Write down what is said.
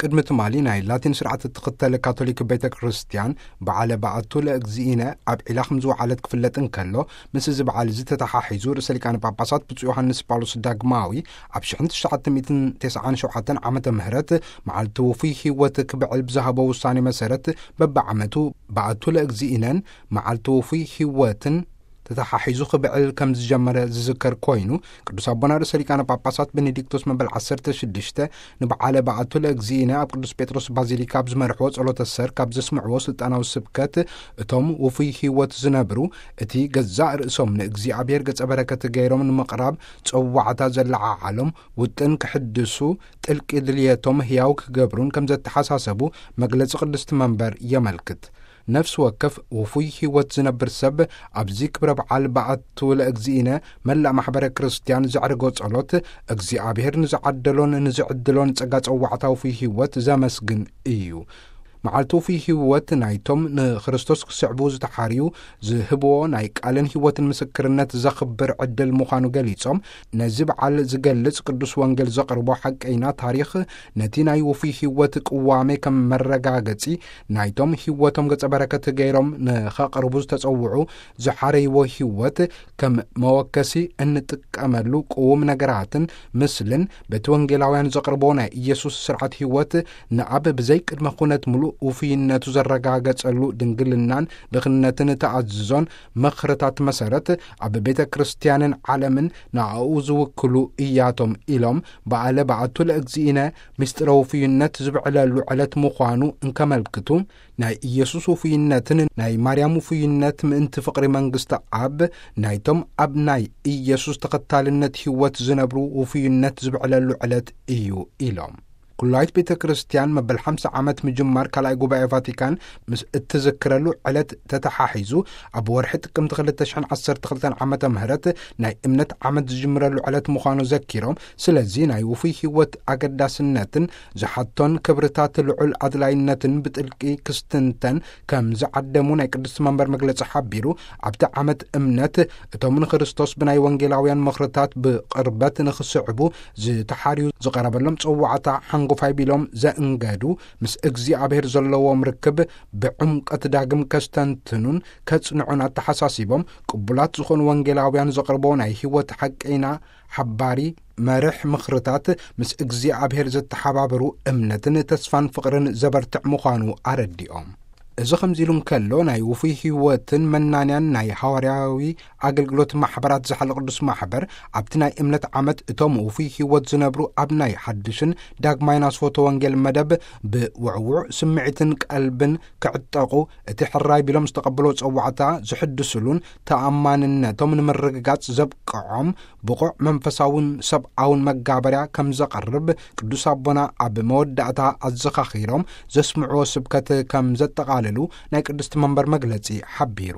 ቅድሚ ትማሊ ናይ ላቲን ስርዓት እትኽተል ካቶሊክ ቤተ ክርስቲያን፣ በዓለ በዓቱ ለእግዚእነ ኣብ ዒላ ከም ዝወዓለት ክፍለጥ እንከሎ፣ ምስ እዚ በዓል እዚ ተተሓሒዙ ርእሰ ሊቃነ ጳጳሳት ብፁዕ ዮሃንስ ጳውሎስ ዳግማዊ ኣብ ሽሕን ትሽዓተ ሚእትን ተስዓን ሸውዓተን ዓመተ ምህረት መዓልቲ ውፉይ ህይወት ክብዕል ብዝሃቦ ውሳኔ መሰረት፣ በብዓመቱ በዓቱ ለእግዚእነን መዓልቲ ውፉይ ህይወትን ተተሓሒዙ ክብዕል ከም ዝጀመረ ዝዝከር ኮይኑ፣ ቅዱስ ኣቦና ርእሰ ሊቃነ ጳጳሳት ቤኔዲክቶስ መበል ዓሰርተ ሽዱሽተ ንበዓለ በዓቱ ለእግዚእነ ኣብ ቅዱስ ጴጥሮስ ባዚሊካ ኣብ ዝመርሕዎ ጸሎተ ሰር ካብ ዘስምዕዎ ስልጣናዊ ስብከት፣ እቶም ውፉይ ህይወት ዝነብሩ፣ እቲ ገዛእ ርእሶም ንእግዚኣብሔር ገጸ በረከት ገይሮም ንምቕራብ ጸዋዕታ ዘለዓዓሎም ውጥን ክሕድሱ፣ ጥልቂ ድልየቶም ህያው ክገብሩን ከም ዘተሓሳሰቡ መግለጺ ቅድስቲ መንበር የመልክት። ነፍሲ ወከፍ ውፉይ ህይወት ዝነብር ሰብ ኣብዚ ክብረ በዓል በዓቱ ለእግዚእነ መላእ ማሕበረ ክርስቲያን ዘዕርጎ ጸሎት፣ እግዚኣብሔር ንዝዓደሎን ንዝዕድሎን ጸጋ ጸዋዕታ ውፉይ ህይወት ዘመስግን እዩ። መዓልቲ ውፉይ ህይወት ናይቶም ንክርስቶስ ክስዕቡ ዝተሓርዩ ዝህብዎ ናይ ቃልን ህይወትን ምስክርነት ዘኽብር ዕድል ምዃኑ ገሊጾም፣ ነዚ በዓል ዝገልጽ ቅዱስ ወንጌል ዘቕርቦ ሓቀይና ታሪኽ ነቲ ናይ ውፉይ ህይወት ቅዋሜ ከም መረጋገጺ ናይቶም ህይወቶም ገጸ በረከት ገይሮም ንኸቕርቡ ዝተጸውዑ ዝሓረይዎ ህይወት ከም መወከሲ እንጥቀመሉ ቅዉም ነገራትን ምስልን በቲ ወንጌላውያን ዘቕርቦ ናይ ኢየሱስ ስርዓት ህይወት ንኣብ ብዘይ ቅድመ ኩነት ምሉእ ውፉይነቱ ዘረጋገጸሉ ድንግልናን ድኽነትን ተኣዝዞን ምኽርታት መሰረት ኣብ ቤተ ክርስቲያንን ዓለምን ንኣኡ ዝውክሉ እያቶም ኢሎም በዓለ በዓቱ ለእግዚእነ ምስጢረ ውፉይነት ዝብዕለሉ ዕለት ምዃኑ እንከመልክቱ፣ ናይ ኢየሱስ ውፉይነትን ናይ ማርያም ውፉይነት ምእንቲ ፍቕሪ መንግስቲ ኣብ ናይቶም ኣብ ናይ ኢየሱስ ተኸታልነት ህይወት ዝነብሩ ውፉይነት ዝብዕለሉ ዕለት እዩ ኢሎም። ኩላይት ቤተ ክርስቲያን መበል ሓምሳ ዓመት ምጅማር ካልኣይ ጉባኤ ቫቲካን ምስ እትዝክረሉ ዕለት ተተሓሒዙ፣ ኣብ ወርሒ ጥቅምቲ ክልተ ሽሕን ዓሰርተ ክልተን ዓመተ ምህረት ናይ እምነት ዓመት ዝጅምረሉ ዕለት ምዃኑ ዘኪሮም፣ ስለዚ ናይ ውፉይ ህይወት ኣገዳስነትን ዝሓቶን ክብርታት ልዑል ኣድላይነትን ብጥልቂ ክስትንተን ከም ዝዓደሙ ናይ ቅድስቲ መንበር መግለጺ ሓቢሩ፣ ኣብቲ ዓመት እምነት እቶም ንክርስቶስ ብናይ ወንጌላውያን ምኽርታት ብቕርበት ንኽስዕቡ ዝተሓርዩ ዝቐረበሎም ጸዋዕታ ሓንጎፋይ ቢሎም ዘእንገዱ፣ ምስ እግዚኣብሔር ዘለዎም ርክብ ብዕምቀት ዳግም ከስተንትኑን ከጽንዑን ኣተሓሳሲቦም፣ ቅቡላት ዝኾኑ ወንጌላውያን ዘቕርቦ ናይ ህይወት ሓቀይና ሓባሪ መርሕ ምኽርታት ምስ እግዚኣብሔር ዘተሓባብሩ እምነትን ተስፋን ፍቕርን ዘበርትዕ ምዃኑ ኣረዲኦም። እዚ ከምዚ ኢሉ እንከሎ፣ ናይ ውፉይ ህይወትን መናንያን ናይ ሃዋርያዊ ኣገልግሎት ማሕበራት ዝሓለ ቅዱስ ማሕበር፣ ኣብቲ ናይ እምነት ዓመት እቶም ውፉይ ህይወት ዝነብሩ ኣብ ናይ ሓድሽን ዳግማይን ኣስፎቶ ወንጌል መደብ ብውዕዉዕ ስምዒትን ቀልብን ክዕጠቑ፣ እቲ ሕራይ ቢሎም ዝተቐበሎ ጸዋዕታ ዝሕድስሉን ተኣማንነቶም ንምርግጋጽ ዘብቅዖም ብቑዕ መንፈሳውን ሰብኣውን መጋበርያ ከም ዘቐርብ ቅዱስ ኣቦና ኣብ መወዳእታ ኣዘኻኺሮም ዘስምዕዎ ስብከት ከም ዘጠቓልሉ ናይ ቅድስቲ መንበር መግለጺ ሓቢሩ።